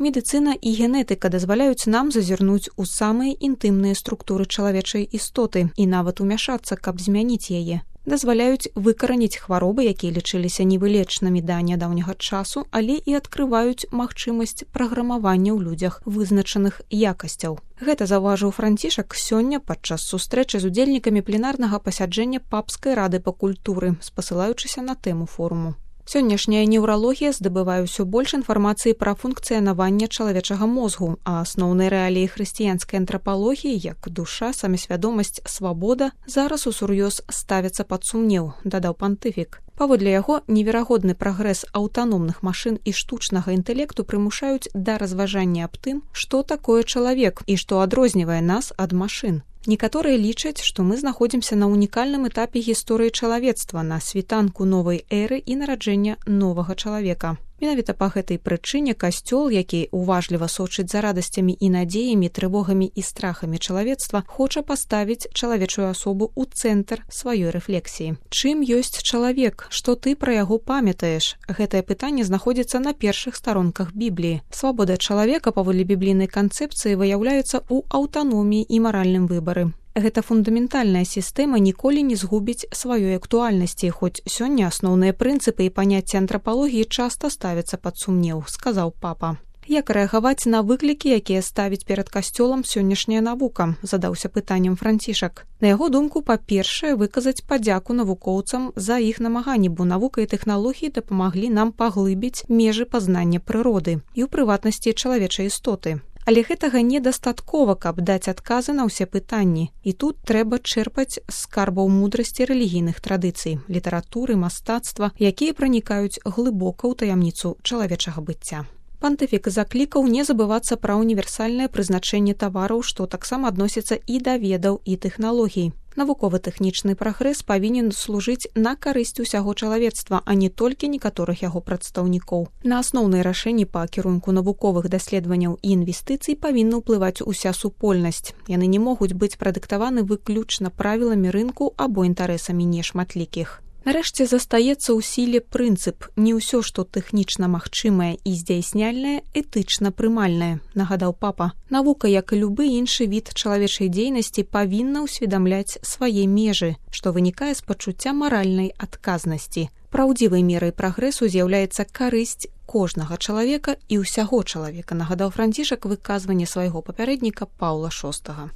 Медыцына і генетыка дазваляюць нам зазірнуць у самыя інтымныя структуры чалавечай істоты і нават умяшацца, каб змяніць яе. Дазваляюць выкараніць хваробы, якія лічыліся невылечнымі да нядаўняга часу, але і адкрываюць магчымасць праграмавання ў людзях вызначаных якасцяў. Гэта заўважыў Францішак сёння падчас сустрэчы з удзельнікамі пленарнага пасяджэння Папскай рады па культуры, спасылаючыся на тэму форуму. Сённяшняя неўралогія здабывае ўсё больш інфармацыі пра функцыянаванне чалавечага мозгу, а асноўныя рэаліі хрысціянскай антрапалогіі, як душа, самасвядомасць, свабода, зараз усур'ёз ставяцца пад сумнеў, дадаў пантыфік. Паводле яго, неверагодны прагрэс аўтаномных машын і штучнага інтэлекту прымушаюць да разважання аб тым, што такое чалавек і што адрознівае нас ад машын. Некаторыя лічаць, што мы знаходзімся на унікальным этапе гісторыі чалавецтва, на світанку новай эры і нараджэння новага чалавека. Менавіта па гэтай прычыне касцёл, які уважліва сочыць за радасцямі і надзеямі, трывогамі і страхамі чалавецтва, хоча паставіць чалавечую асобу ў цэнтр сваёй рэфлексіі. Чым ёсць чалавек? Што ты пра яго памятаеш? Гэтае пытанне знаходзіцца на першых старонках Бібліі. Свабода чалавека паводле біблійнай канцэпцыі выяўляецца ў аўтаноміі і маральным выбары. Гэта фундаментальная сістэма ніколі не згубіць сваёй актуальнасці, хоць сёння асноўныя прынцыпы і паняцці антрапалогіі часта ставяцца пад сумнеў, сказаў папа. Як рэагаваць на выклікі, якія ставіць перад касцёлам сённяшняя навука, задаўся пытаннем Францішак. На яго думку, па-першае, выказаць падзяку навукоўцам за іх намаганні, бо навука і тэхналогіі дапамаглі нам паглыбіць межы пазнання прыроды і ў прыватнасці чалавечай істоты. Але гэтага недастаткова, каб даць адказы на ўсе пытанні. І тут трэба чэрпаць з скарбаў мудрасці рэлігійных традыцый, літаратуры, мастацтва, якія пранікаюць глыбока ў таямніцу чалавечага быцця. Пантыфік заклікаў не забывацца пра універсальнае прызначэнне тавараў, што таксама адносіцца і да ведаў і тэхналогій. Навукова-тэхнічны прагрэс павінен служыць на карысць усяго чалавецтва, а не толькі некаторых яго прадстаўнікоў. На асноўныя рашэнні па кірунку навуковых даследаванняў і інвестыцый павінна ўплываць уся супольнасць. Яны не могуць быць прадыктаваны выключна правіламі рынку або інтарэсамі нешматлікіх. Нарэшце застаецца ў сіле прынцып «Не ўсё, што тэхнічна магчымае і здзяйсняльнае, этычна прымальнае», нагадаў папа. Навука, як і любы іншы від чалавечай дзейнасці, павінна ўсведамляць свае межы, што вынікае з пачуцця маральнай адказнасці. Праўдзівай мерай прагрэсу з'яўляецца карысць кожнага чалавека і ўсяго чалавека, нагадаў Францішак выказванне свайго папярэдніка Паўла VI.